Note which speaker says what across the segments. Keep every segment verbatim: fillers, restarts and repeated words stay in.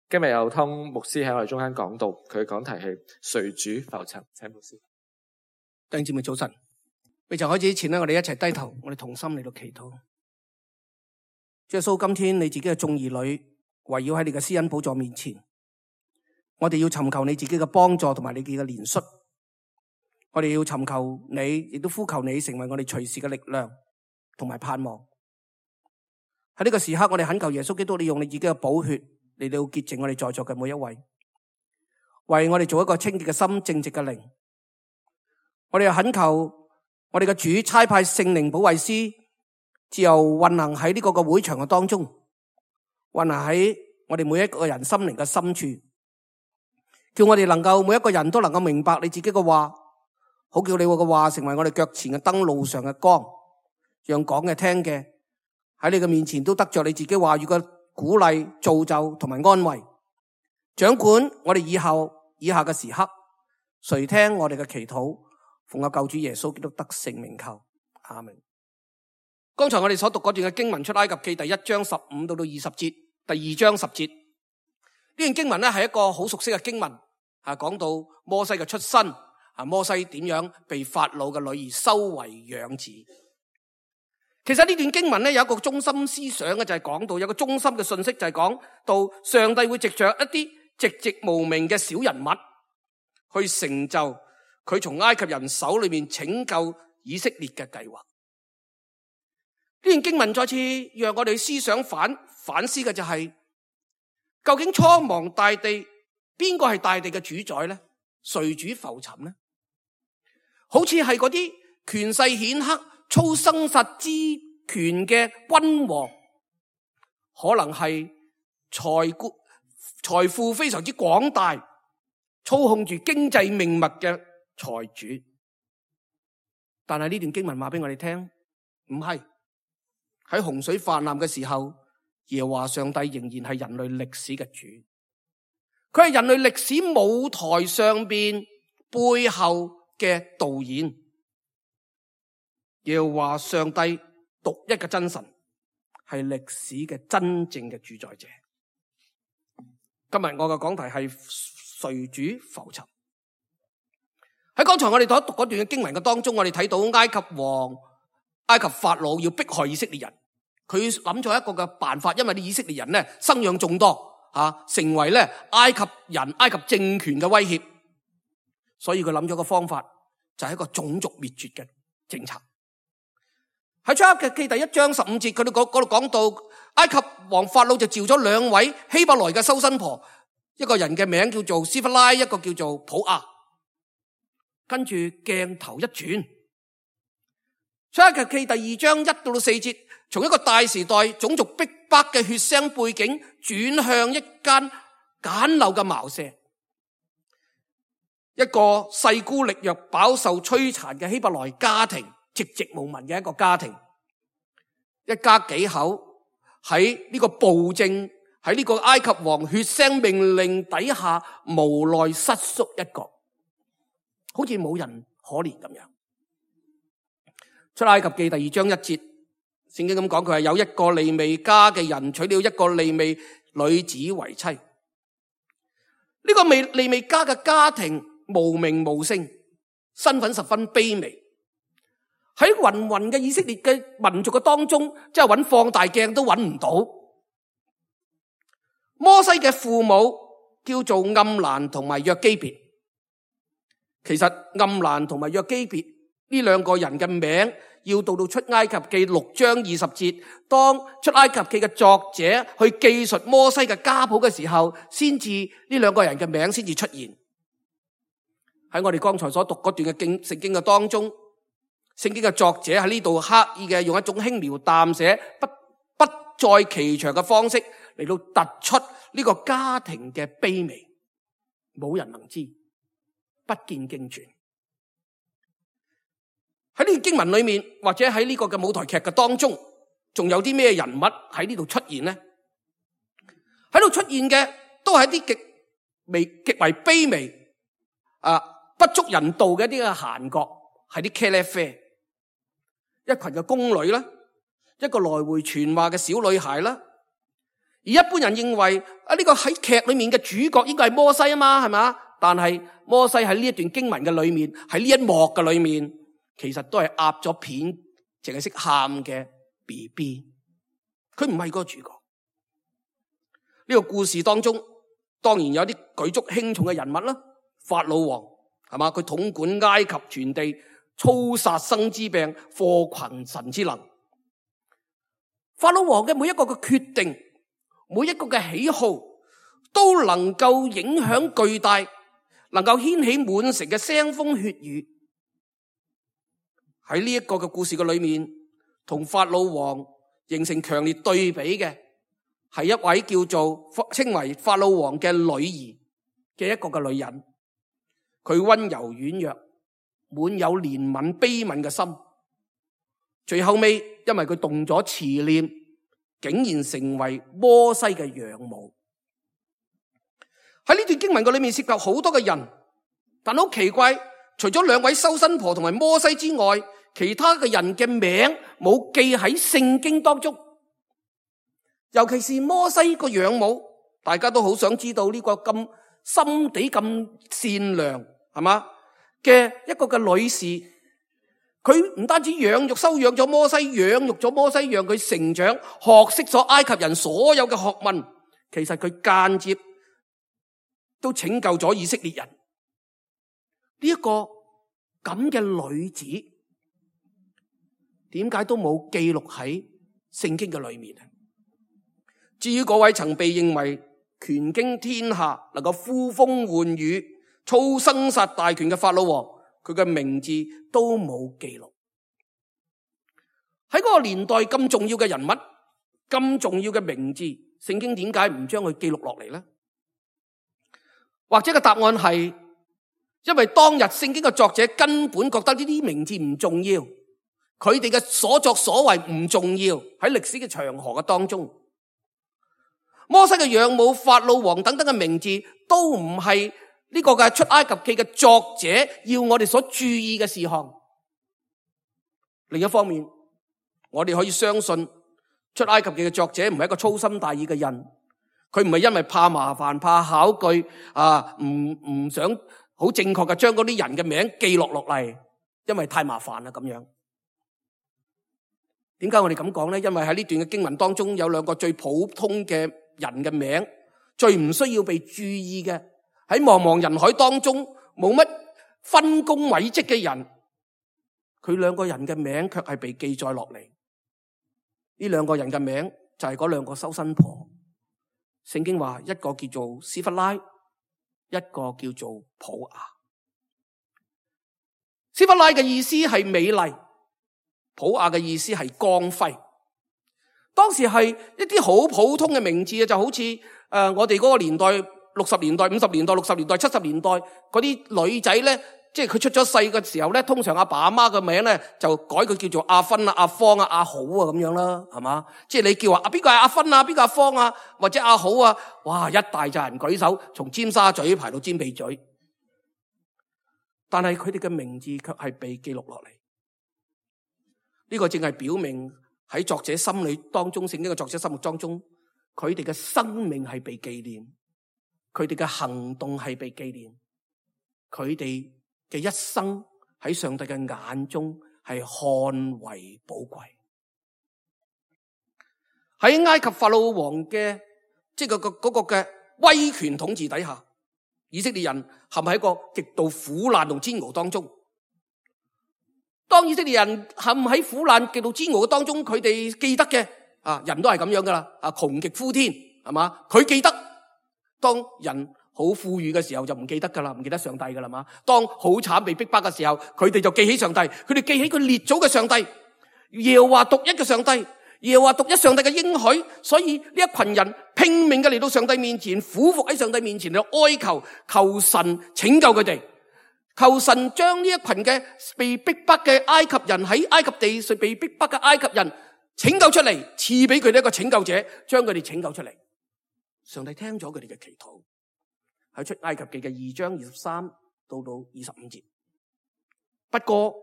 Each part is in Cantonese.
Speaker 1: 今日有湯牧師喺我哋中間講道，佢嘅講題係誰主浮沉。請牧師。
Speaker 2: 弟兄姊妹早晨，未曾開始之前咧，我哋一齊低頭，我哋同心嚟到祈禱。主耶穌，今天你自己嘅眾兒女圍繞喺你嘅施恩寶座面前，我哋要尋求你自己嘅幫助同埋你自己嘅憐恤，我哋要尋求你，亦都呼求你成為我哋隨時嘅力量同埋盼望。喺呢個時刻，我哋懇求耶穌基督，你用你自己嘅寶血嚟到潔淨我哋在座嘅每一位，為我哋做一個清潔嘅心、正直嘅靈。我哋又懇求我哋嘅主差派聖靈保惠師自由運行喺呢個嘅會場嘅當中，運行喺我哋每一個人心靈嘅深處，叫我哋能夠每一個人都能夠明白你自己嘅話，好叫你嘅話成為我哋腳前嘅燈，路上嘅光，讓講嘅聽嘅喺你嘅面前都得着你自己話語嘅鼓勵、造就同埋安慰。掌管我哋以後以下嘅時刻，垂聽我哋嘅祈禱，奉我救主耶穌基督得聖名求，阿們。剛才我哋所讀嗰段嘅經文出埃及記第一章十五到到二十節，第二章十節，呢段經文咧係一個好熟悉嘅經文，啊，講到摩西嘅出身，啊，摩西點樣被法老嘅女兒收為養子。其實呢段經文咧有一個中心思想嘅，就係講到有一個中心嘅信息，就係講到上帝會藉着一啲寂寂無名嘅小人物去成就佢從埃及人手裏面拯救以色列嘅計劃。呢段經文再次讓我哋思想反反思嘅就係、是，究竟蒼茫大地邊個係大地嘅主宰呢？誰主浮沉呢？好似係嗰啲權勢顯赫、操生殺之權嘅君王，可能係財富財富非常之廣大，操控住經濟命脈嘅財主。但係呢段經文話俾我哋聽，唔係。喺洪水泛濫嘅時候，耶和華上帝仍然係人類歷史嘅主，佢係人類歷史舞台上邊背後嘅導演。耶和華上帝獨一嘅真神，係歷史嘅真正嘅主宰者。今日我嘅講題係誰主浮沉。喺剛才我哋所讀嗰段嘅經文嘅當中，我哋睇到埃及王埃及法老要迫害以色列人，佢諗咗一個嘅辦法，因為啲以色列人咧生養眾多，吓成為咧埃及人埃及政權嘅威脅，所以佢諗咗個方法，就係一個種族滅絕嘅政策。喺出埃及記第一章十五節，佢哋嗰度講到埃及王法老就召咗兩位希伯來嘅收生婆，一個人嘅名叫做斯弗拉，一個叫做普亞。跟住鏡頭一轉，出埃及記第二章一到四節，從一個大時代種族逼迫嘅血腥背景轉向一間簡陋嘅茅舍，一個勢孤力弱、飽受摧殘嘅希伯來家庭，寂寂無聞嘅一個家庭，一家幾口喺呢個暴政，喺呢個埃及王血腥命令底下無奈瑟縮一角，好似冇人可憐咁樣。出埃及記第二章一節，聖經咁講，佢係有一個利未家嘅人娶了一個利未女子為妻。呢、這個利利未家嘅家庭無名無姓，身份十分卑微。喺芸芸嘅以色列嘅民族嘅當中，即係揾放大鏡都揾唔到。摩西嘅父母叫做暗蘭同埋約基別。其實暗蘭同埋約基別呢兩個人嘅名，要到到出埃及記六章二十節，當出埃及記嘅作者去記述摩西嘅家譜嘅時候，先至呢兩個人嘅名先至出現。喺我哋剛才所讀嗰段嘅經聖經嘅當中，聖經嘅作者喺呢度刻意嘅用一種輕描淡寫、不不在其詳嘅方式嚟到突出呢個家庭嘅卑微，冇人能知，不見經傳。喺呢段經文裏面，或者喺呢個嘅舞台劇嘅當中，仲有啲咩人物喺呢度出現呢？喺度出現嘅都係一啲極微、極為卑微、啊不足人道嘅一啲嘅閒角，係啲茄喱啡，一群嘅宮女啦，一個來回傳話嘅小女孩啦，而一般人認為啊，呢個喺劇裏面嘅主角應該係摩西啊嘛，係嘛？但係摩西喺呢一段經文嘅裏面，喺呢一幕嘅裏面，其實都係壓咗片，淨係識喊嘅 B B， 佢唔係嗰個主角。呢個故事當中，當然有啲舉足輕重嘅人物啦，法老王係嘛？佢統管埃及全地，操殺生之病，禍群神之能。法老王嘅每一個嘅決定，每一個嘅喜好，都能夠影響巨大，能夠掀起滿城嘅腥風血雨。喺呢一個嘅故事嘅裏面，同法老王形成強烈對比嘅，係一位叫做稱為法老王嘅女兒嘅一個嘅女人。佢溫柔軟弱，滿有憐憫悲憫嘅心。最後尾，因為佢動咗慈念，竟然成為摩西嘅養母。喺呢段經文嘅裏面涉及好多嘅人，但好奇怪，除咗兩位收生婆同埋摩西之外，其他嘅人嘅名冇記喺聖經當中。尤其是摩西個養母，大家都好想知道呢個咁心地咁善良係嘛嘅一個嘅女士，佢唔單止養育收養咗摩西，養育咗摩西，讓佢成長，學識咗埃及人所有嘅學問，其實佢間接都拯救咗以色列人。呢一個咁嘅女子，點解都冇記錄喺聖經嘅裏面？至於嗰位曾被認為權傾天下，能夠呼風喚雨、操生殺大權嘅法老王，佢嘅名字都冇記錄。喺嗰個年代咁重要嘅人物、咁重要嘅名字，聖經點解唔將佢記錄落嚟呢？或者個答案係，因為當日聖經嘅作者根本覺得呢啲名字唔重要，佢哋嘅所作所為唔重要，喺歷史嘅長河嘅當中。摩西嘅養母、法老王等等嘅名字都唔係呢個嘅出埃及記嘅作者要我哋所注意嘅事項。另一方面，我哋可以相信出埃及記嘅作者唔係一個粗心大意嘅人，佢唔係因為怕麻煩、怕考據啊，唔唔想好正確嘅將嗰啲人嘅名記錄落嚟，因為太麻煩啦咁樣。點解我哋咁講呢？因為喺呢段嘅經文當中有兩個最普通嘅人嘅名，最唔需要被注意嘅，喺茫茫人海當中冇乜分工委職嘅人，佢兩個人嘅名卻係被記載落嚟。呢兩個人嘅名就係嗰兩個收生婆。聖經話一個叫做斯弗拉，一個叫做普雅。斯弗拉嘅意思係美麗，普雅嘅意思係光輝。當時係一啲好普通嘅名字，就好似誒、呃、我哋嗰個年代，六十年代、五十年代、六十年代、七十年代嗰啲女仔咧，即係佢出咗世嘅時候咧，通常阿爸阿媽嘅名咧就改佢叫做阿芬啊、阿芳啊、阿好啊咁樣啦，係嘛？即係你叫話啊邊個係阿芬啊、邊個阿芳啊，或者阿好啊，哇一大扎人舉手，從尖沙咀排到尖鼻咀。但係佢哋嘅名字卻係被記錄落嚟，呢個正係表明喺作者心裏當中，聖經嘅作者心目當中，佢哋嘅生命係被紀念，佢哋嘅行動係被紀念，佢哋嘅一生喺上帝嘅眼中係看為寶貴。喺埃及法老王嘅即係嗰個嗰個嘅威權統治底下，以色列人陷喺一個極度苦難同煎熬當中。當以色列人陷喺苦難極度煎熬嘅當中，佢哋記得嘅啊，人都係咁樣噶啦，啊窮極呼天係嘛，佢記得。當人好富裕嘅時候就唔記得噶啦，唔記得上帝噶啦嘛。當好慘被逼迫嘅時候，佢哋就記起上帝，佢哋記起佢列祖嘅上帝，耶和華獨一嘅上帝，耶和華獨一上帝嘅應許。所以呢一群人拼命嘅嚟到上帝面前，俯伏喺上帝面前嚟哀求，求神拯救佢哋。求神將呢一群嘅被逼迫嘅埃及人，喺埃及地上被逼迫嘅埃及人拯救出嚟，賜俾佢哋一個拯救者，將佢哋拯救出嚟。上帝聽咗佢哋嘅祈禱，喺出埃及記嘅二章二十三到到二十五節。不過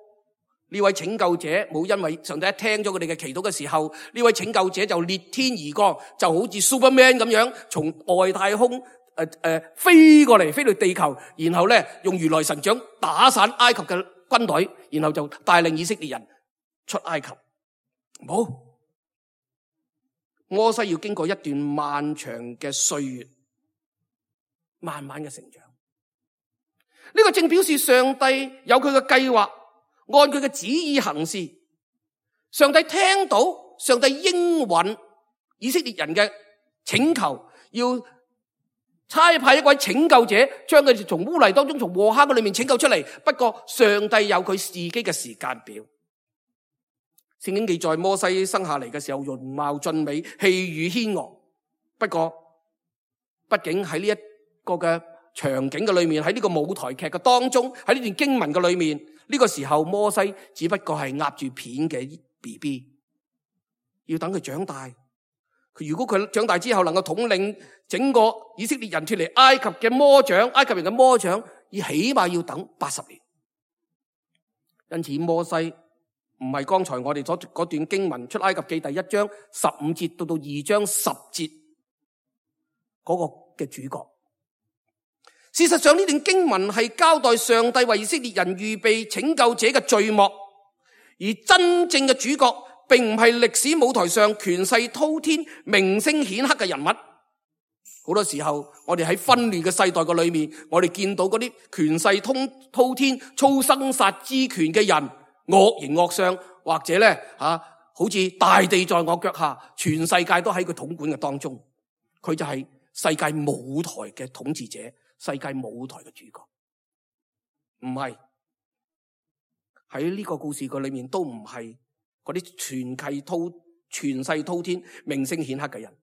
Speaker 2: 呢位拯救者冇因為上帝一聽咗佢哋嘅祈禱嘅時候，呢位拯救者就裂天而降，就好似 Superman 咁樣從外太空誒誒、呃呃、飛過嚟，飛到地球，然後咧用如來神掌打散埃及嘅軍隊，然後就帶領以色列人出埃及。冇，摩西要經過一段漫長嘅歲月，慢慢嘅成長。呢、這個正表示上帝有佢嘅計劃，按佢嘅旨意行事。上帝聽到上帝應允以色列人嘅請求，要差派一位拯救者，將佢哋從污泥當中、從禍坑嘅裏面拯救出嚟。不過上帝有佢自己嘅時間表。聖經記載摩西生下嚟嘅時候，容貌俊美，氣宇軒昂。不過，畢竟喺呢一個嘅場景嘅裏面，喺呢個舞台劇嘅當中，喺呢段經文嘅裏面，呢、這個時候摩西只不過係壓住片嘅 B B， 要等佢長大。佢如果佢長大之後能夠統領整個以色列人脫離埃及嘅魔掌，埃及人嘅魔掌，要起碼要等八十年。因此摩西唔係剛才我哋所嗰段經文出埃及記第一章十五節到到二章十節嗰個嘅主角。事實上呢段經文係交代上帝為以色列人預備拯救者嘅序幕，而真正嘅主角並唔係歷史舞台上權勢滔天、名聲顯赫嘅人物。好多時候我哋喺紛亂嘅世代嘅裏面，我哋見到嗰啲權勢滔天、操生殺之權嘅人，惡形惡相，或者咧吓、啊，好似大地在我腳下，全世界都喺佢統管嘅當中。佢就係世界舞台嘅統治者，世界舞台嘅主角。唔係，喺呢個故事個裏面都唔係嗰啲全系滔全勢滔天、名聲顯赫嘅人，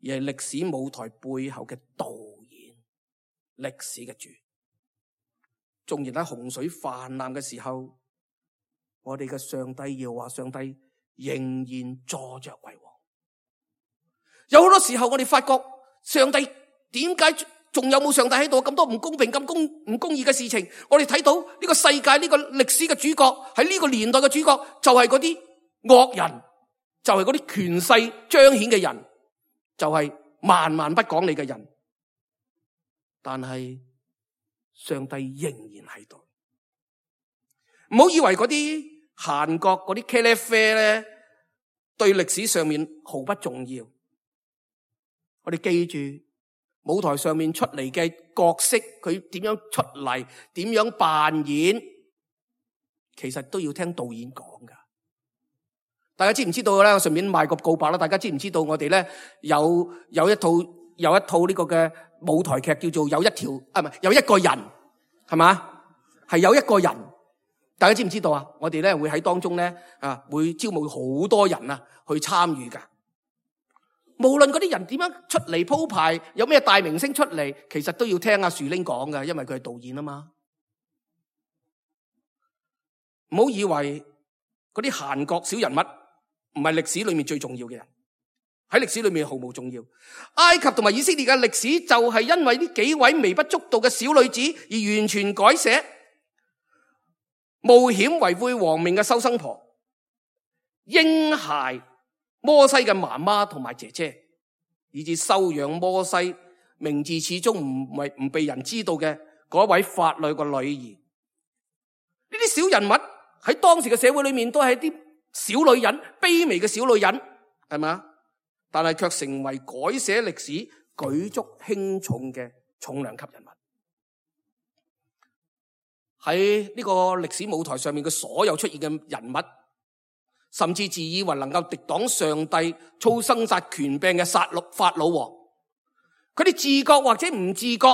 Speaker 2: 而係歷史舞台背後嘅導演，歷史嘅主。縱然喺洪水泛濫嘅時候，我哋嘅上帝要話上帝仍然坐着為王。有好多時候我哋發覺上帝點解仲有冇上帝喺度？咁多唔公平、咁公唔公義嘅事情，我哋睇到呢個世界、呢個歷史嘅主角，喺呢個年代嘅主角就係嗰啲惡人，就係嗰啲權勢彰顯嘅人，就係萬萬不講理嘅人。但係上帝仍然喺度。唔好以為嗰啲閒國嗰啲茄喱啡咧，對歷史上面毫不重要。我哋記住舞台上面出嚟嘅角色，佢點樣出嚟，點樣扮演，其實都要聽導演講噶。大家知唔知道咧？我順便賣個告白啦。大家知唔知道我哋咧有有一套有一套呢個嘅舞台劇叫做有一條啊，唔係有一個人，係嘛？係有一個人。大家知唔知道啊？我哋咧會喺當中咧啊，會招募好多人啊去參與噶。無論嗰啲人點樣出嚟鋪排，有咩大明星出嚟，其實都要聽阿樹玲講噶，因為佢係導演啊嘛。唔好以為嗰啲閒角小人物唔係歷史裏面最重要嘅人，喺歷史裏面毫無重要。埃及同埋以色列嘅歷史就係因為呢幾位微不足道嘅小女子而完全改寫。冒險維護王命嘅收生婆，嬰孩摩西嘅媽媽同埋姐姐，以至收養摩西名字始終唔係唔被人知道嘅嗰位法老個女兒。呢啲小人物喺當時嘅社會裏面都係啲小女人，卑微嘅小女人，係咪？但係卻成為改寫歷史舉足輕重嘅重量級人物。喺呢個歷史舞台上面嘅所有出現嘅人物，甚至自以為能夠敵擋上帝操生殺權柄嘅殺戮法老王，佢哋自覺或者唔自覺，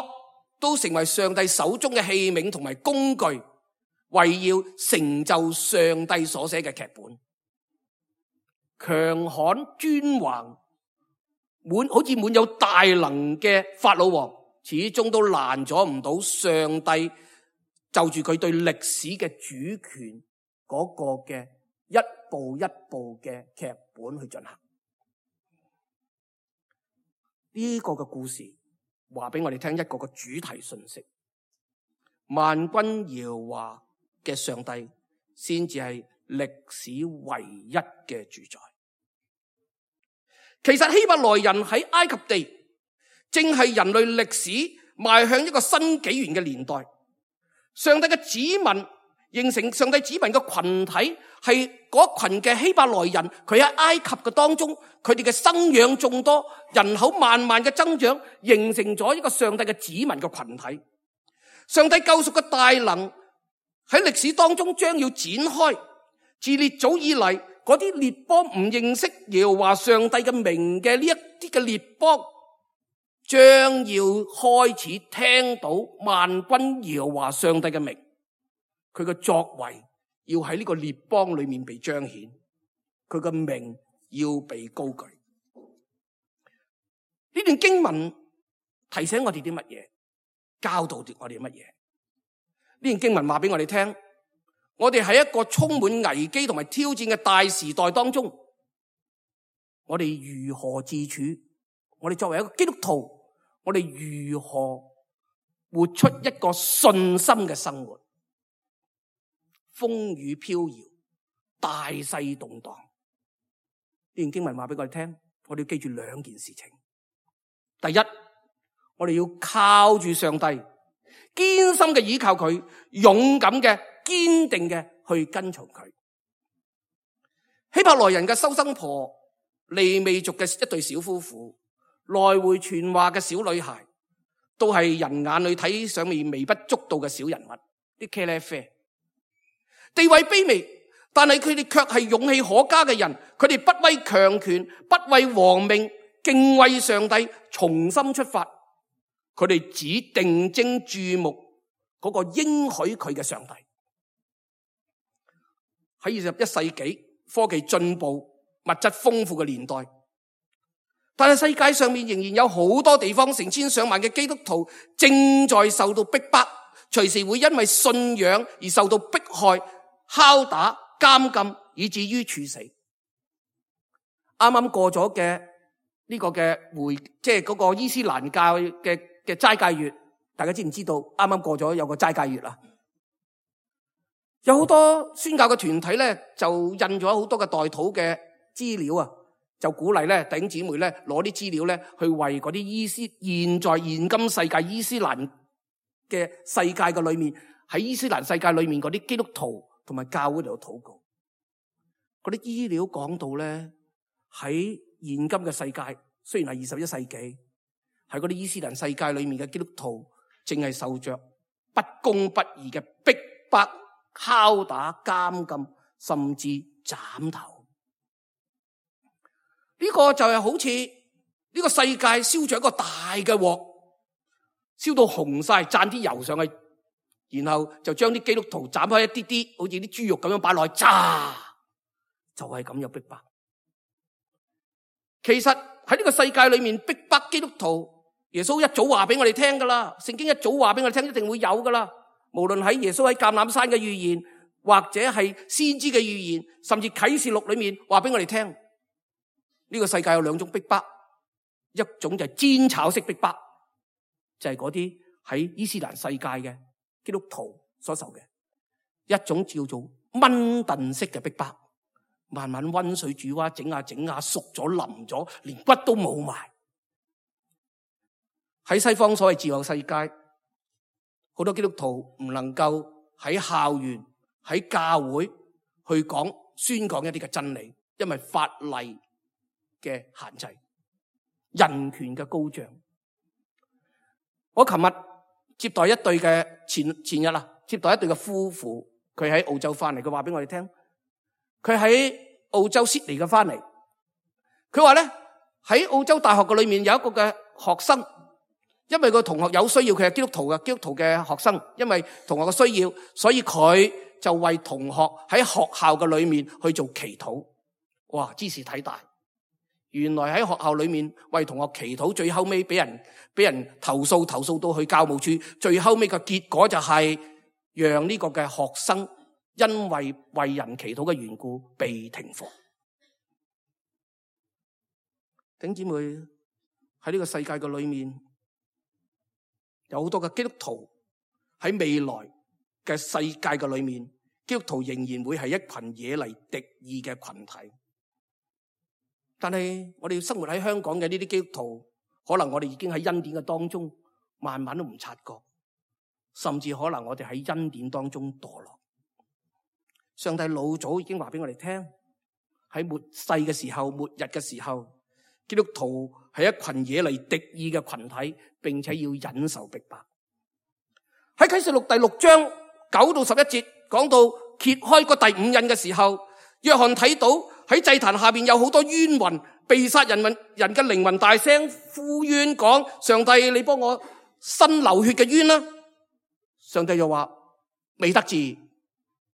Speaker 2: 都成為上帝手中嘅器皿同埋工具，為要成就上帝所寫嘅劇本。強悍專橫，滿好似滿有大能嘅法老王，始終都攔阻唔到上帝就住佢對歷史嘅主權嗰個嘅一步一步嘅劇本去進行。呢個嘅故事話俾我哋聽一個個主題信息：萬軍耶和華嘅上帝先至係歷史唯一嘅主宰。其實希伯來人喺埃及地，正係人類歷史邁向一個新紀元嘅年代。上帝嘅子民形成上帝子民嘅群體，係嗰群嘅希伯來人，佢喺埃及嘅當中，佢哋嘅生養眾多，人口慢慢嘅增長，形成咗一個上帝嘅子民嘅群體。上帝救贖嘅大能喺歷史當中將要展開。自列祖以嚟，嗰啲列邦唔認識耶和華上帝嘅名嘅呢一啲嘅列邦，將要開始聽到萬軍耶和華上帝嘅名，佢嘅作為要喺呢個列邦裏面被彰顯，佢嘅名要被高舉。呢段經文提醒我哋啲乜嘢？教導我哋乜嘢？呢段經文話俾我哋聽，我哋喺一個充滿危機同埋挑戰嘅大時代當中，我哋如何自處？我哋作為一個基督徒，我哋如何活出一個信心嘅生活？風雨飄搖，大勢動盪。呢段經文話俾我哋聽，我哋要記住兩件事情。第一，我哋要靠住上帝，堅心嘅倚靠佢，勇敢嘅、堅定嘅去跟從佢。希伯來人嘅收生婆，利未族嘅一對小夫婦，來回傳話嘅小女孩，都係人眼裏睇上面微不足道嘅小人物，啲茄喱啡，地位卑微，但係佢哋卻係勇氣可嘉嘅人。佢哋不畏強權，不畏皇命，敬畏上帝，重新出發。佢哋只定睛注目嗰個應許佢嘅上帝。喺二十一世紀科技進步、物質豐富嘅年代，但係世界上面仍然有好多地方，成千上萬嘅基督徒正在受到逼迫，隨時會因為信仰而受到迫害、拷打、監禁，以至於處死。啱啱過咗嘅呢個嘅回，即係嗰個伊斯蘭教嘅嘅齋戒月，大家知唔知道？啱啱過咗有個齋戒月啦，有好多宣教嘅團體咧，就印咗好多嘅代禱嘅資料啊，就鼓勵咧弟兄姊妹咧攞啲資料咧去為嗰啲伊斯現在現今世界伊斯蘭嘅世界嘅裏面，喺伊斯蘭世界裏面嗰啲基督徒同埋教會度禱告。嗰啲資料講到咧，喺現今嘅世界，雖然係二十一世紀，喺嗰啲伊斯蘭世界裏面嘅基督徒正係受着不公不義嘅逼迫、拷打、監禁，甚至斬頭。呢個就係好似呢個世界燒着一個大嘅鑊，燒到紅晒，蘸啲油上去，然後就將啲基督徒斬開一啲啲，好似啲豬肉咁樣擺落去炸，就係咁樣逼迫。其實喺呢個世界裏面逼迫基督徒，耶穌一早話俾我哋聽噶啦，聖經一早話俾我哋聽，一定會有噶啦。無論喺耶穌喺橄欖山嘅預言，或者係先知嘅預言，甚至啟示錄裏面話俾我哋聽，呢個世界有兩種逼迫，一種就係煎炒式逼迫，就係嗰啲喺伊斯蘭世界嘅基督徒所受嘅；一種叫做炆燉式嘅逼迫，慢慢溫水煮蛙，整下整下熟咗腍咗，連骨都冇埋。喺西方所謂自由世界，好多基督徒唔能夠喺校園、喺教會去講宣講一啲嘅真理，因為法例嘅限制、人權嘅高漲。我琴日接待一對嘅前前日啦，接待一對嘅夫婦，佢喺澳洲翻嚟，佢話俾我哋聽，佢喺澳洲悉尼嘅翻嚟，佢話咧喺澳洲大學嘅裏面有一個嘅學生，因為個同學有需要，佢係基督徒嘅基督徒嘅學生，因為同學嘅需要，所以佢就為同學喺學校嘅裏面去做祈禱。哇，茲事體大！原來喺學校裏面為同學祈禱，最後尾俾人俾人投訴，投訴到去教務處，最後尾嘅結果就係讓呢個嘅學生因為為人祈禱嘅緣故被停課。弟兄姊妹，喺呢個世界嘅裏面，有好多嘅基督徒喺未來嘅世界嘅裏面，基督徒仍然會係一群惹嚟敵意嘅群體。但係我哋生活喺香港嘅呢啲基督徒，可能我哋已經喺恩典嘅當中，慢慢都唔察覺，甚至可能我哋喺恩典當中墮落。上帝老早已經話俾我哋聽，喺末世嘅時候、末日嘅時候，基督徒係一群惹嚟敵意嘅群體，並且要忍受逼迫。喺啟示錄第六章九到十一節講到揭開個第五印嘅時候，約翰睇到喺祭壇下邊有好多冤魂，被殺人人嘅靈魂大聲呼冤講：上帝，你幫我伸流血嘅冤啦！上帝又話：未得志，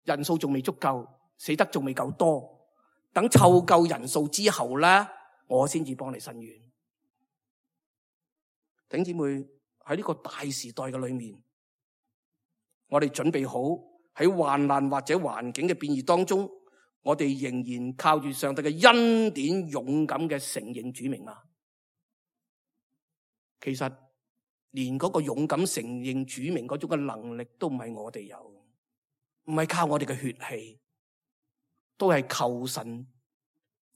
Speaker 2: 人數仲未足夠，死得仲未夠多，等湊夠人數之後咧，我先至幫你伸冤。弟兄姊妹，喺呢個大時代嘅裏面，我哋準備好喺患難或者環境嘅變異當中，我哋仍然靠住上帝嘅恩典，勇敢嘅承認主名啊！其實連嗰個勇敢承認主名嗰種嘅能力都唔係我哋有，唔係靠我哋嘅血氣，都係求神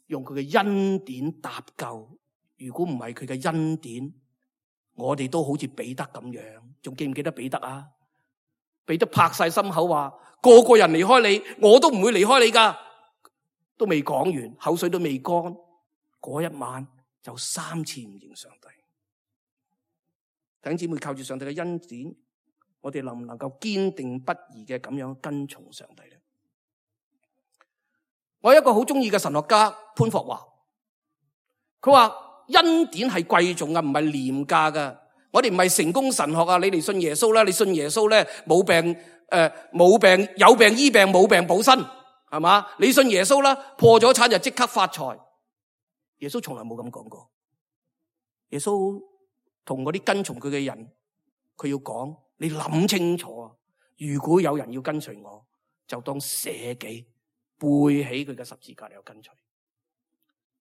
Speaker 2: 用佢嘅恩典搭救。如果唔係佢嘅恩典，我哋都好似彼得咁樣。仲記唔記得彼得啊？彼得拍晒心口話：個個人離開你，我都唔會離開你噶。都未講完，口水都未乾，嗰一晚就三次唔認上帝。弟兄姊妹，靠住上帝嘅恩典，我哋能唔能夠堅定不移嘅咁樣跟從上帝咧？我有一個好中意嘅神學家潘霍華，佢話恩典係貴重嘅，唔係廉價嘅。我哋唔係成功神學啊！你哋信耶穌啦，你信耶穌咧，冇病誒，冇、呃、病有病醫病，冇病補身，係嘛？你信耶穌啦，破咗產就即刻發財。耶穌從來冇咁講過。耶穌同嗰啲跟從佢嘅人，佢要講：你諗清楚啊！如果有人要跟隨我，就當捨己，背起佢嘅十字架嚟跟隨。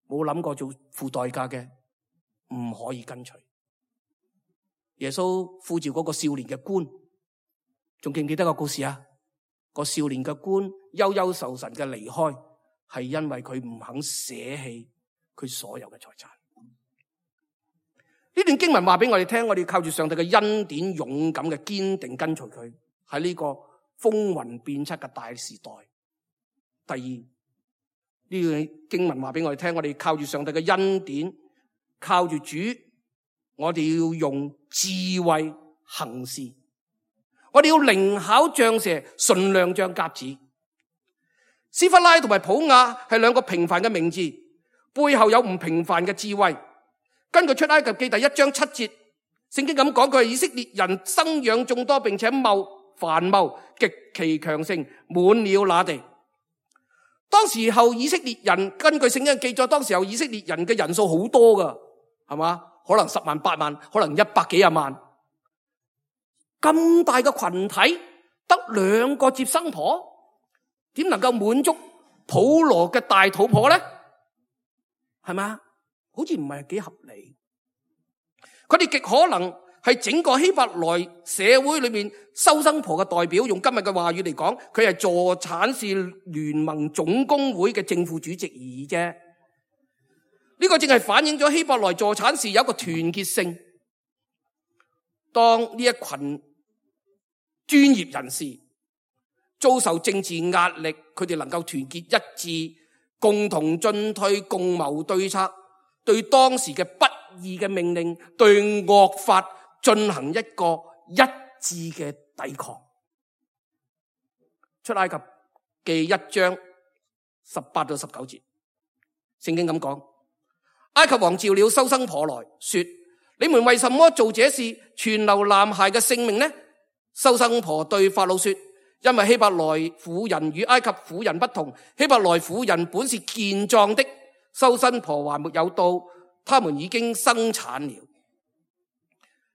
Speaker 2: 冇諗過做付代價嘅，唔可以跟隨。耶穌呼召嗰個少年嘅官，仲記唔記得個故事啊？個少年嘅官憂憂愁愁嘅離開，係因為佢唔肯捨棄佢所有嘅財產。呢段經文話俾我哋聽，我哋靠住上帝嘅恩典，勇敢嘅堅定跟隨佢，喺呢個風雲變色嘅大時代。第二，呢段經文話俾我哋聽，我哋靠住上帝嘅恩典，靠住主，我哋要用智慧行事，我哋要靈巧像蛇，純良像鴿子。斯弗拉同埋普亞係兩個平凡嘅名字，背後有唔平凡嘅智慧。根據出埃及記第一章七節，聖經咁講，佢係以色列人生養眾多，並且茂繁茂，極其強盛，滿了那地。當時候以色列人，根據聖經嘅記載，當時候以色列人嘅人數好多噶，係嘛？可能十萬八萬，可能一百幾廿萬。咁大嘅群體，得兩個接生婆，點能夠滿足普羅嘅大肚婆咧？係嘛？好似唔係幾合理。佢哋極可能係整個希伯來社會裏面收生婆嘅代表。用今日嘅話語嚟講，佢係助產士聯盟總工會嘅正副主席而已啫。呢個正係反映咗希伯來助產士有一個團結性。當呢一群專業人士遭受政治壓力，佢哋能夠團結一致，共同進退，共謀對策，對當時嘅不義嘅命令，對惡法進行一個一致嘅抵抗。出埃及記一章十八到十九節，聖經咁講：埃及王召了收生婆來說，你們為什麼做這事，存留男孩嘅性命呢？收生婆對法老說：因為希伯來婦人與埃及婦人不同，希伯來婦人本是健壯的，收生婆還沒有到，他們已經生產了。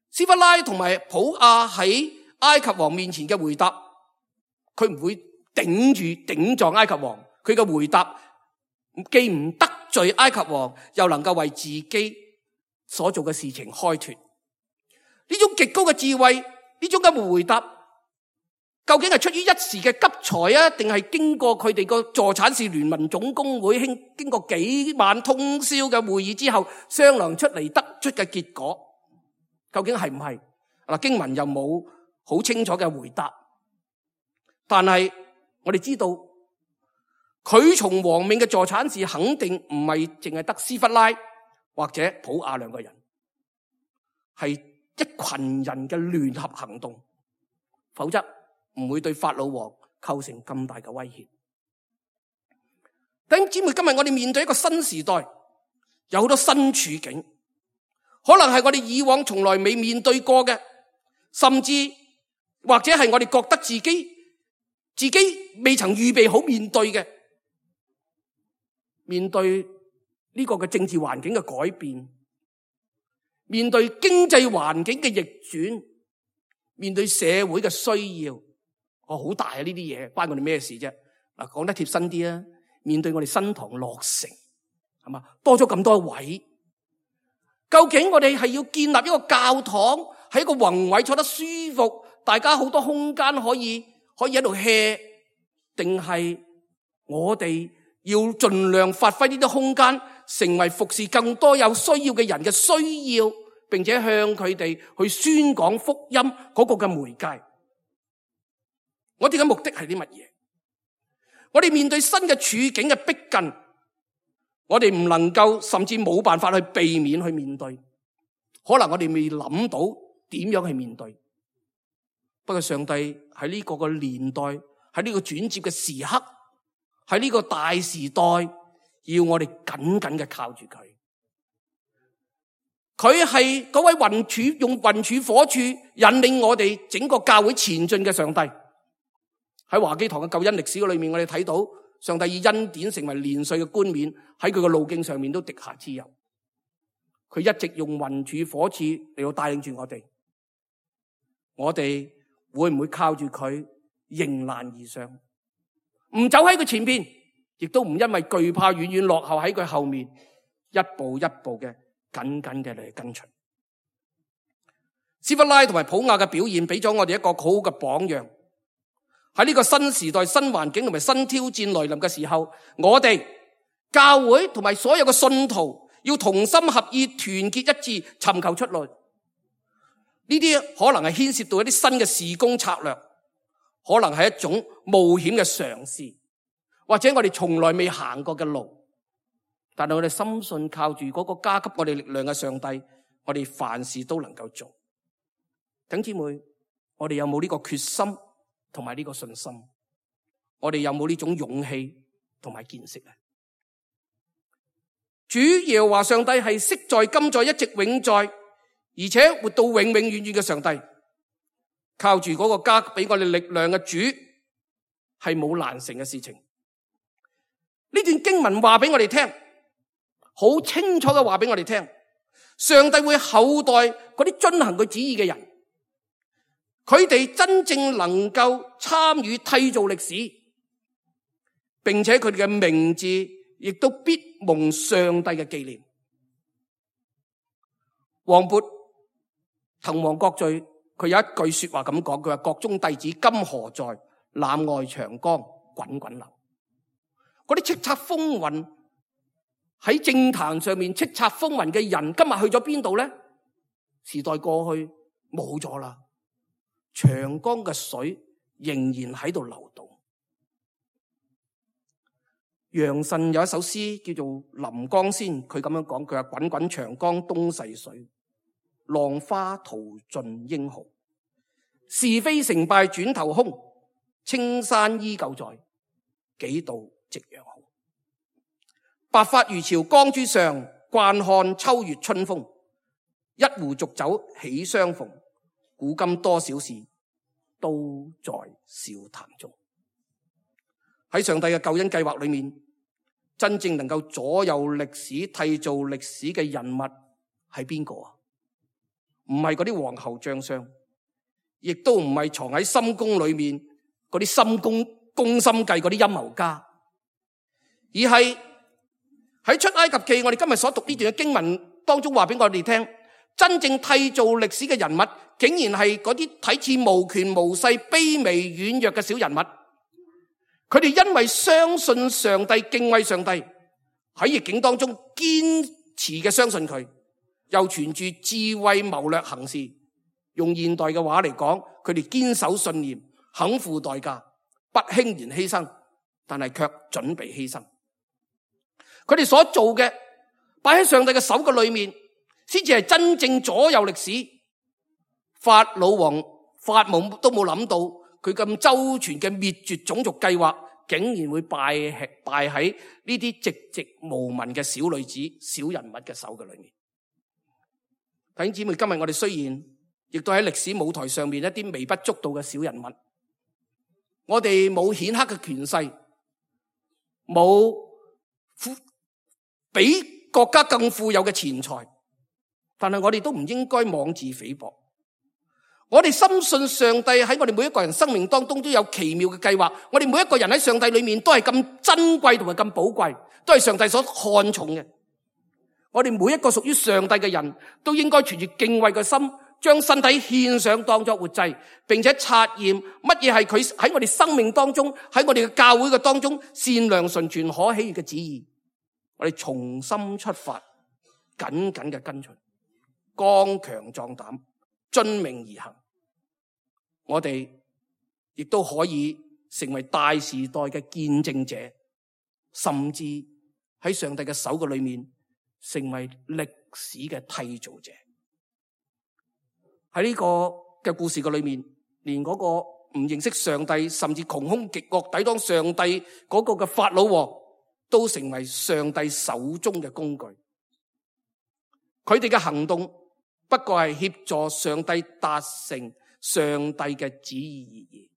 Speaker 2: 斯弗拉同埋普亞喺埃及王面前嘅回答，佢唔會頂住頂撞埃及王，佢嘅回答既唔得罪埃及王，又能夠為自己所做嘅事情開脫。呢種極高嘅智慧，呢種嘅回答究竟係出於一時嘅急才啊，定係經過佢哋個助產士聯盟總工會經過幾晚通宵嘅會議之後商量出嚟得出嘅結果？究竟係唔係？嗱，經文又冇好清楚嘅回答。但係我哋知道，佢從王命嘅助產士肯定唔係淨係得斯弗拉或者普亞兩個人，係一群人嘅聯合行動，否則唔會對法老王構成咁大嘅威脅。弟兄姊妹，今日我哋面對一個新時代，有好多新處境，可能係我哋以往從來未面對過嘅，甚至或者係我哋覺得自己自己未曾預備好面對嘅。面對呢個嘅政治環境嘅改變，面對經濟環境嘅逆轉，面對社會嘅需要，哦，好大啊！呢啲嘢關我哋咩事啫？嗱，講得貼身啲啊！面對我哋新堂落成，係嘛，多咗咁多位，究竟我哋係要建立一個教堂，喺一個宏偉坐得舒服，大家好多空間可以可以喺度 hea， 定係我哋要盡量發揮呢啲空間，成為服侍更多有需要嘅人嘅需要，並且向佢哋去宣講福音嗰個嘅媒介。我哋嘅目的係啲乜嘢？我哋面對新嘅處境嘅逼近，我哋唔能夠，甚至冇辦法去避免去面對。可能我哋未諗到點樣去面對。不過上帝喺呢個嘅年代，喺呢個轉接嘅時刻，喺呢個大時代，要我哋緊緊嘅靠住佢。佢係嗰位雲柱，用雲柱火柱引領我哋整個教會前進嘅上帝。喺華基堂嘅救恩歷史裏面，我哋睇到上帝以恩典成為年歲嘅冠冕，喺佢嘅路徑上面都滴下脂油。佢一直用雲柱火柱嚟到帶領住我哋。我哋會唔會靠住佢迎難而上？唔走喺佢前邊，亦都唔因為懼怕遠遠落後喺佢後面，一步一步嘅緊緊嘅嚟跟隨。斯弗拉同埋普亞嘅表現俾咗我哋一個好好嘅榜樣。喺呢個新時代、新環境同埋新挑戰來臨嘅時候，我哋教會同埋所有嘅信徒要同心合意、團結一致，尋求出路。呢啲可能係牽涉到一啲新嘅事工策略，可能係一種冒險嘅嘗試，或者我哋從來未行過嘅路。但係我哋深信靠住嗰個加給我哋力量嘅上帝，我哋凡事都能夠做。弟兄姊妹，我哋有冇呢個決心同埋呢個信心？我哋有冇呢種勇氣同埋見識呢？主耶和華上帝係昔在、今在、一直永在，而且活到永永遠遠嘅上帝。靠住嗰個加俾我哋力量嘅主，係冇難成嘅事情。呢段經文話俾我哋聽，好清楚嘅話俾我哋聽，上帝會厚待嗰啲遵行佢旨意嘅人，佢哋真正能夠參與締造歷史，並且佢哋嘅名字亦都必蒙上帝嘅紀念。王勃滕王閣序，佢有一句說話咁講，佢話國中弟子今何在？檻外長江滾滾流。嗰啲叱咤風雲喺政壇上面叱咤風雲嘅人，今日去咗邊度咧？時代過去冇咗啦，長江嘅水仍然喺度流動。楊慎有一首詩叫做《臨江仙》，佢咁樣講，佢話滾滾長江東逝水，浪花淘盡英豪。是非成敗轉頭空，青山依舊在，幾度夕陽紅。白髮漁樵江渚上，慣看秋月春風。一壺濁酒喜相逢，古今多少事，都在笑談中。喺上帝嘅救恩計劃裏面，真正能夠左右歷史、締造歷史嘅人物係邊個啊？唔係嗰啲王侯將相，亦都唔係藏喺深宮裏面嗰啲深宮宮心計嗰啲陰謀家，而係喺出埃及記我哋今日所讀呢段嘅經文當中話俾我哋聽，真正締造歷史嘅人物，竟然係嗰啲睇似無權無勢、卑微軟弱嘅小人物。佢哋因為相信上帝、敬畏上帝，喺逆境當中堅持嘅相信佢，又存住智慧謀略行事。用現代嘅話嚟講，佢哋堅守信念，肯付代價，不輕言犧牲，但係卻準備犧牲。佢哋所做嘅擺喺上帝嘅手嘅裏面，先至係真正左右歷史。法老王發夢都冇諗到，佢咁周全嘅滅絕種族計劃，竟然會敗敗喺呢啲寂寂無聞嘅小女子、小人物嘅手嘅裏面。弟兄姊妹，今日我哋雖然亦都喺歷史舞台上面一啲微不足道嘅小人物，我哋冇顯赫嘅權勢，冇比國家更富有嘅錢財，但係我哋都唔應該妄自菲薄。我哋深信上帝喺我哋每一個人生命當中都有奇妙嘅計劃。我哋每一個人喺上帝裏面都係咁珍貴同埋咁寶貴，都係上帝所看重嘅。我哋每一個屬於上帝嘅人都應該存住敬畏嘅心，將身體獻上當作活祭，並且察驗乜嘢係佢喺我哋生命當中，喺我哋嘅教會嘅當中善良純全可喜悅嘅旨意。我哋重新出發，緊緊嘅跟隨，剛強壯膽，遵命而行。我哋亦都可以成為大時代嘅見證者，甚至喺上帝嘅手嘅裏面成為歷史嘅締造者。喺呢個嘅故事嘅裏面，連嗰個唔認識上帝，甚至窮凶極惡抵擋上帝嗰個嘅法老王，都成為上帝手中嘅工具。佢哋嘅行動不過係協助上帝達成上帝嘅旨意而已。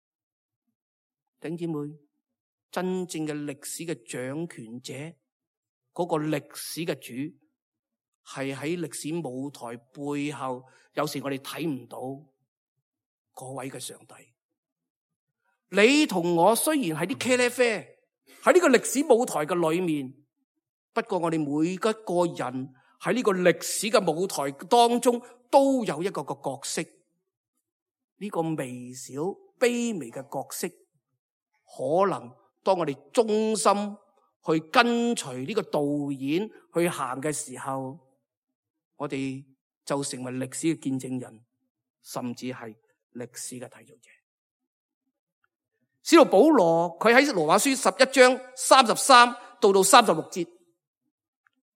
Speaker 2: 弟兄姊妹，真正嘅歷史嘅掌權者，嗰個歷史嘅主，係喺歷史舞台背後，有時我哋睇唔到嗰位嘅上帝。你同我雖然係啲茄喱啡喺呢個歷史舞台嘅裏面，不過我哋每一個人喺呢個歷史嘅舞台當中都有一個個角色。呢個微小卑微嘅角色，可能當我哋忠心去跟隨呢個導演去行嘅時候，我哋就成為歷史嘅見證人，甚至係歷史嘅締造者。使徒保羅佢喺羅馬書十一章三十三到到三十六節，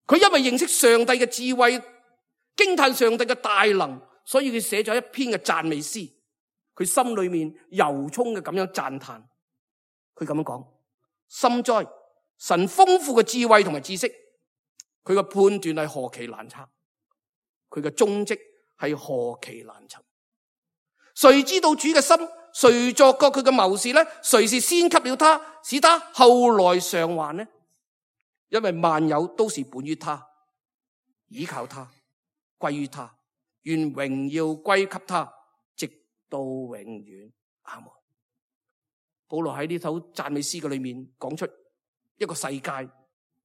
Speaker 2: 佢因為認識上帝嘅智慧，驚嘆上帝嘅大能，所以佢寫咗一篇嘅讚美詩。佢心裏面由衷嘅咁樣讚嘆，佢咁樣講：深哉，神豐富嘅智慧同埋知識，佢嘅判斷係何其難測，佢嘅蹤跡係何其難尋。誰知道主嘅心？誰作過佢嘅謀士呢？誰是先給了他，使他後來償還呢？因為萬有都是本於他，倚靠他，歸於他，願榮耀歸給他，直到永遠。阿門。保羅喺呢首讚美詩嘅裏面講出一個世界，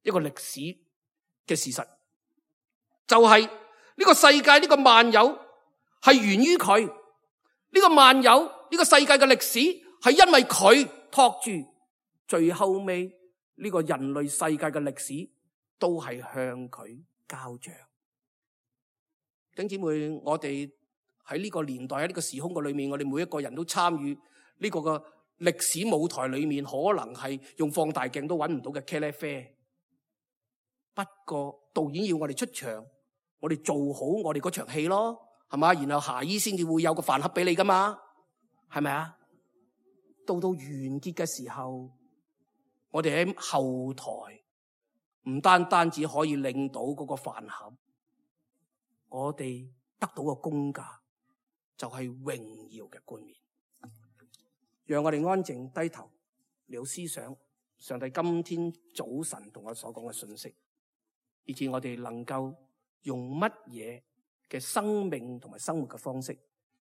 Speaker 2: 一個歷史嘅事實，就係、是、呢個世界，呢個萬有係源於佢。呢個萬有，呢個世界嘅歷史係因為佢托住，最後尾呢個人類世界嘅歷史都係向佢交賬。弟兄姊妹，我哋喺呢個年代，喺呢個時空嘅裏面，我哋每一個人都參與呢個嘅歷史舞台裏面，可能係用放大鏡都揾唔到嘅茄喱啡。不過導演要我哋出場，我哋做好我哋嗰場戲咯。係嘛？然後下衣先至會有個飯盒俾你噶嘛？係咪啊？到到完結嘅時候，我哋喺後台唔單單只可以領到嗰個飯盒，我哋得到嘅工價就係榮耀嘅冠冕。讓我哋安靜低頭，了思想上帝今天早晨同我所講嘅信息，以致我哋能夠用乜嘢嘅生命同埋生活嘅方式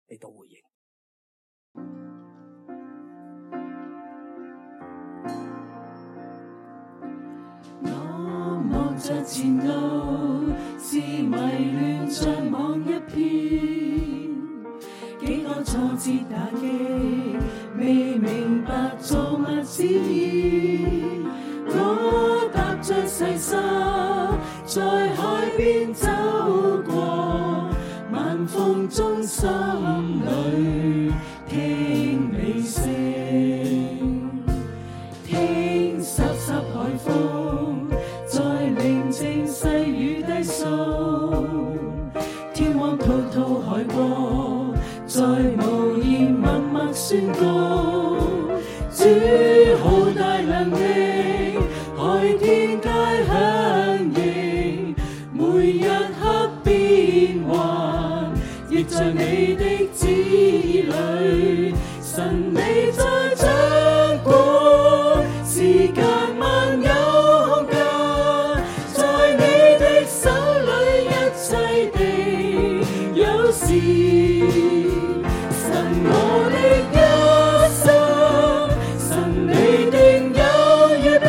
Speaker 2: 嚟到回應。
Speaker 3: 我望着前路，自迷亂像網一片，幾多挫折打擊，未明白造物旨意。我踏着細沙，在海邊走過，晚風中心裏聽你聲，聽濕濕海風在寧靜細雨低訴，天荒滔滔海波在無言默默宣告，主好大能力，海天皆響應，每一刻變幻，亦在你的旨意裏，神你在掌管，時間萬有空間，在你的手裏一切地有時，神我的一生，神你定有預備，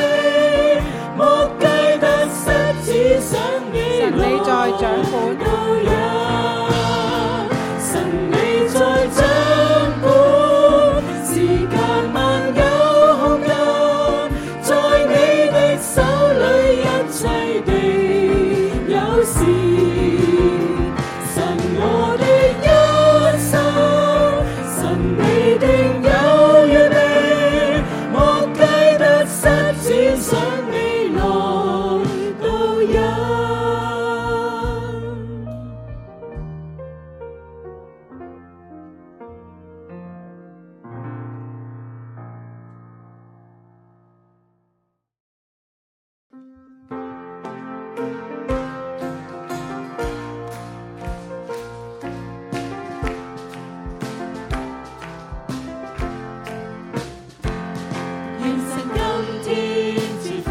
Speaker 3: 莫計得失，只想你
Speaker 4: 神你在掌管，
Speaker 3: 都有，神你在掌管，時間萬有空間，在你的手裏一切地有時，神我的一生，神你定有預備，莫計得失，只想未來都有。願神今天賜福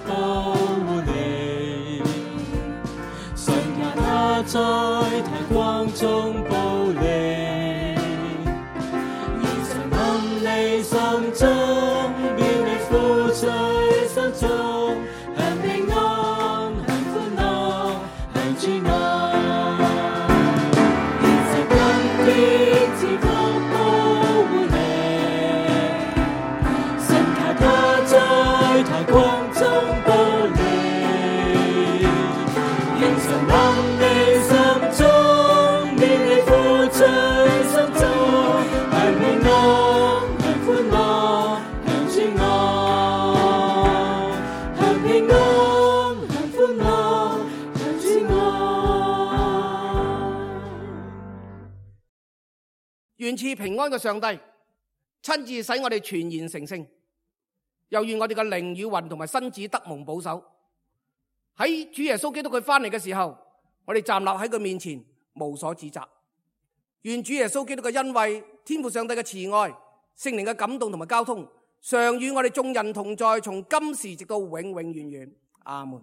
Speaker 3: 保護你，信靠他在太光中保你，願神臨你心中，叫你富在心中，享平安，享歡樂，享主愛。願神今天賜福保護你，信靠他在太光中保你，願神臨你心中，叫你富在心中，享平安，享歡樂，享主愛，享平安，享歡樂，享主愛。
Speaker 2: 願賜平安嘅上帝親自使我哋全然成聖，又願我哋嘅靈與魂同埋身子得蒙保守。喺主耶穌基督佢翻嚟嘅時候，我哋站立喺佢面前無所指責。願主耶穌基督嘅恩惠、天父上帝嘅慈愛、聖靈嘅感動同埋交通，常與我哋眾人同在，從今時直到永永遠遠。阿門。